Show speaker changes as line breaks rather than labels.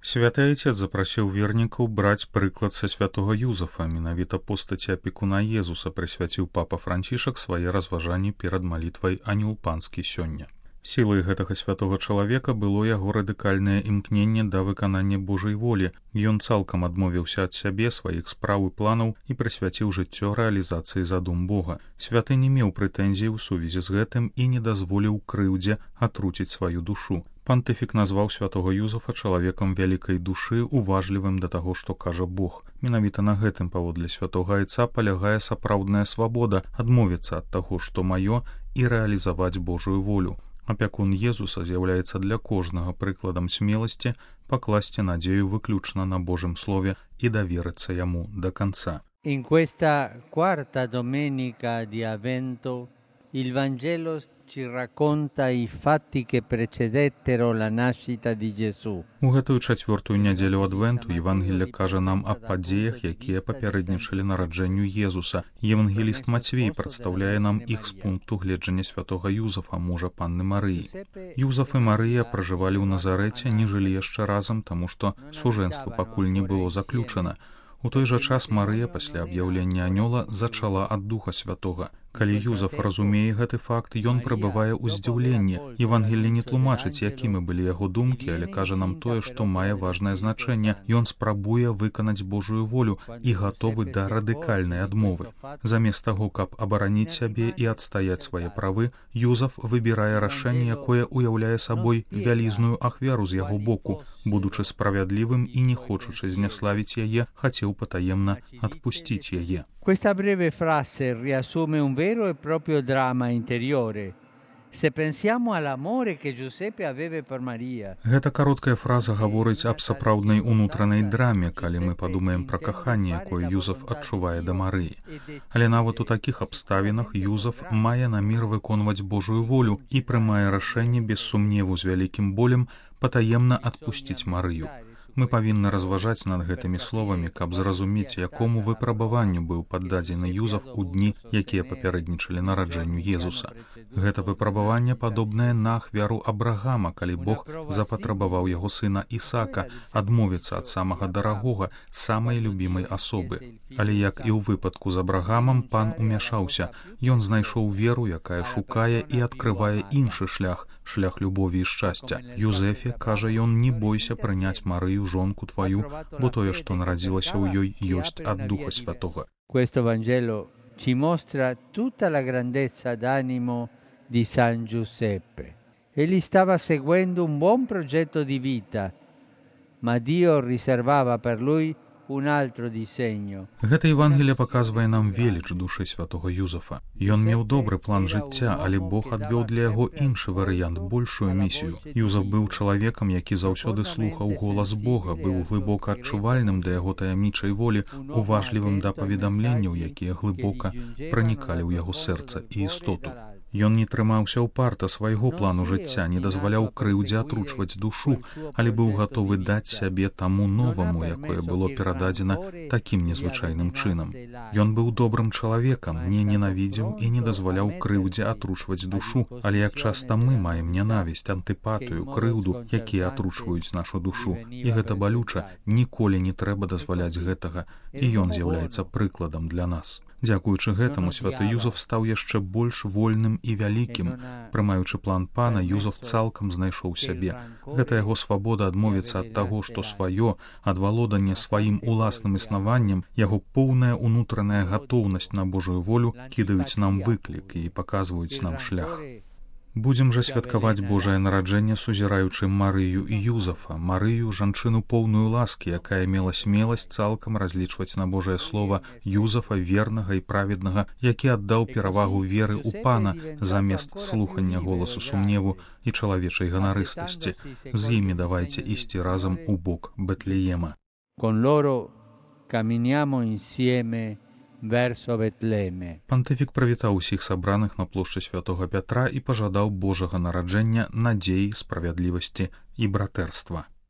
Святы Айцец запрасіў вернікаў браць прыклад са святога Юзафа, менавіта постаці апекуна Езуса прысвяціў папа Францішак свае разважанні перад малітвай «Анёл панскі» сёння. Сілай гэтага святога чалавека было яго радыкальнае імкненне да выканання Божай волі. Ён цалкам адмовіўся ад сябе, сваіх спраў і планаў і прысвяціў жыццё рэалізацыі задум Бога. Святы не меў прэтэнзій у сувязі з гэтым і не дазволіў крыўдзе атруціць сваю душу. Пантыфік назваў святога Юзафа чалавекам вялікай душы, уважлівым да таго, што кажа Бог. Менавіта на гэтым паводле святога Айца палягае сапраўдная свабода адмовіцца ад таго, што маё, і рэалізаваць Божую волю. Апякун Езуса з'яўляецца для кожнага прыкладам смеласці пакласці надзею выключна на Божым слове і даверыцца яму да канца.
In questa quarta domenica di Avvento il Vangelo ci racconta i fatti che precedettero la nascita di Gesù.
У гэтую чацвёртую нядзелю Адвенту Евангелле кажа нам аб падзеях, якія папярэднічалі нараджэнню Езуса. Евангеліст Мацвей прадстаўляе нам іх з пункту гледжання святога Юзафа, мужа панны Марыі. Юзаф і Марыя пражывалі ў Назарэце, не жылі яшчэ разам, таму што сужэнства пакуль не было заключана. У той жа час Марыя пасля аб'яўлення анёла зачала ад Духа Святога. Калі Юзаф разумее гэты факт, ён прабывае ў здзіўленні. Евангелле не тлумачыць, якімі былі яго думкі, але кажа нам тое, што мае важнае значэнне. Ён спрабуе выканаць Божую волю і гатовы да радыкальнай адмовы. Замест таго, каб абараніць сябе і адстаяць свае правы, Юзаф выбірае рашэнне, якое уяўляе сабой вялізную ахвяру з яго боку. Будучы справядлівым і не хочучы зняславіць яе, хацеў патаемна адпусціць яе.
Questa breve frase riassume un vero e proprio dramma interiore. Se pensiamo all'amore che Giuseppe aveva per Maria.
Гэта кароткая фраза гаворыць аб сапраўднай унутранай драме, калі мы падумаем пра каханне, якое Юзаф адчувае да Марыі. Але нават у такіх абставінах Юзаф мае намер выконваць Божую волю і прымае рашэнне без сумневу з вялікім болем патаемна адпусціць Марыю. Мы павінны разважаць над гэтымі словамі, каб зразумець, якому выпрабаванню быў паддадзены Юзаф у дні, якія папярэднічалі нараджэнню Езуса. Гэта выпрабаванне падобнае на ахвяру Абрагама, калі Бог запатрабаваў яго сына Ісака адмовіцца ад самага дарагога, самай любімай асобы. Але як і ў выпадку з Абрагамам, пан умяшаўся. Ён знайшоў веру, якая шукае і адкрывае іншы шлях, шлях любові і шчасця. Юзефе, кажа ён, не бойся прыняць Марыю жонку твою, бо тое, што нарадзілася ў ёй, ёсць ад Духа Святога.
Questo Vangelo ci mostra tutta la grandezza d'animo di San Giuseppe. Egli stava seguendo un buon progetto di vita, ma Dio riservava per lui un altro disegno.
Гэта Евангелие паказвае нам веліч душы святога Юзафа. Ён меў добры план жыцця, але Бог адвёў для яго іншы варыянт, большую місію. Юзаф быў чалавекам, які заўсёды слухаў голас Бога, быў глыбока адчувальным да яго таямнічай волі, уважлівым да паведамленняў, якія глыбока пранікалі ў яго сэрца і істоту. Ён не трымаўся ўпарта свайго плану жыцця, не дазваляў крыўдзе атручваць душу, але быў гатовы даць сябе таму новаму, якое было перададзена такім незвычайным чынам. Ён быў добрым чалавекам, не ненавідзеў і не дазваляў крыўдзе атручваць душу, але як часта мы маем нянавісць, антыпатыю, крыўду, якія атручваюць нашу душу. І гэта балюча, ніколі не трэба дазваляць гэтага, і ён з'яўляецца прыкладам для нас. Дзякуючы гэтаму святы Юзаф стаў яшчэ больш вольным і вялікім. Прымаючы план пана, Юзаф цалкам знайшоў сябе. Гэта яго свабода адмовіцца ад таго, што сваё, ад валодання сваім уласным існаваннем, яго поўная унутраная гатоўнасць на Божую волю кідаюць нам выклік і паказваюць нам шлях. Будзем жа святкаваць Божае нараджэнне, сузіраючы Марыю і Юзафа, Марыю, жанчыну поўную ласкі, якая мела смеласць цалкам разлічваць на Божае слова, Юзафа, вернага і праведнага, які аддаў перавагу веры ў пана замест слухання голасу сумневу і чалавечай ганарыстасці. З імі давайце ісці разам у бок Бэтлеема.
Con loro camminiamo insieme verso Betlemme.
Пантыфік прывітаў усіх сабраных на плошчы святога Пятра і пажадаў Божага нараджэння, надзеі, справядлівасці і братэрства.